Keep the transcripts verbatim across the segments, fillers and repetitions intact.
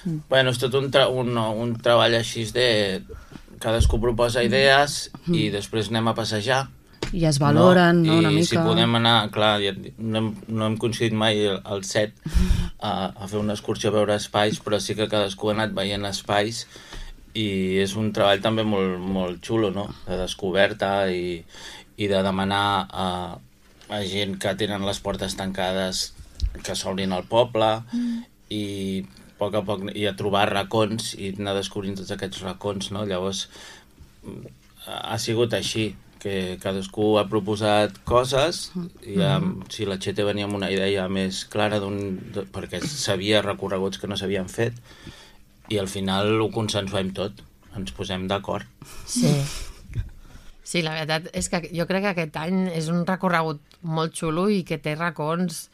Mm. Bueno, és tot un, tra un, un treball així de... Cadascú proposa idees mm. i després anem a passejar. I es valoren, no, no una I mica... si podem anar... Clar, ja, no, hem, no hem coincidit mai al set a, a fer una excursió a veure espais, però sí que cadascú ha anat veient espais i és un treball també molt, molt xulo, no? De descoberta i, i de demanar a, a gent que tenen les portes tancades que s'obrin al poble mm. i a poc a poc i a trobar racons i anar descobrint tots aquests racons, no? Llavors ha sigut així, que cadascú ha proposat coses i ja, mm. si la Txete venia amb una idea més clara de, perquè sabia recorreguts que no s'havien fet i al final ho consensuem tot, ens posem d'acord. Sí. Sí, la veritat és que jo crec que aquest any és un recorregut molt xulo i que té racons,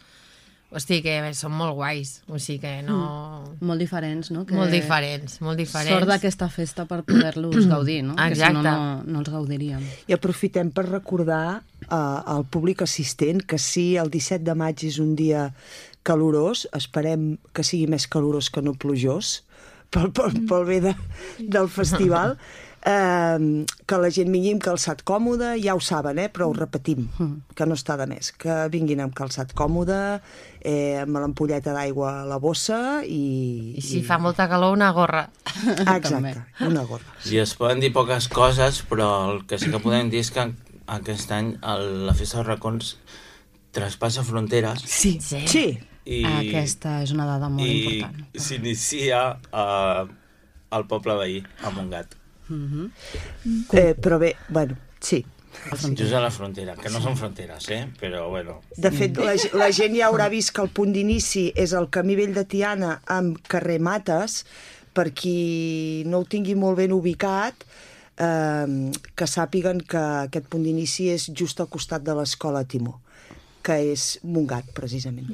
hosti, que són molt guais, o sigui que no... Mm. Molt diferents, no? Que... Molt diferents, molt diferents. Sort d'aquesta festa per poder-los gaudir, no? Exacte. Que si no, no, no els gaudiríem. I aprofitem per recordar uh, al públic assistent que sí, el disset de maig és un dia calorós, esperem que sigui més calorós que no plujós, pel, pel, pel bé de, del festival, eh, que la gent vingui amb calçat còmode, ja ho saben, eh, però ho repetim, que no està de més, que vinguin amb calçat còmode, eh, amb l'ampolleta d'aigua a la bossa i... I si i... fa molta calor, una gorra. Exacte, una gorra. Sí, es poden dir poques coses, però el que sí que podem dir és que aquest any el, la Festa dels Racons traspassa fronteres. Sí, sí. sí. I, aquesta és una dada molt i important. I s'inicia uh, al poble veí, a Montgat. Mm-hmm. eh, però bé, bueno, sí. Just a la frontera, que no són fronteres, eh? Però bueno. De fet, la, la gent ja haurà vist que el punt d'inici és el Camí Vell de Tiana amb carrer Mates, per qui no ho tingui molt ben ubicat, eh, que sàpiguen que aquest punt d'inici és just al costat de l'escola Timó, que és Montgat, precisament.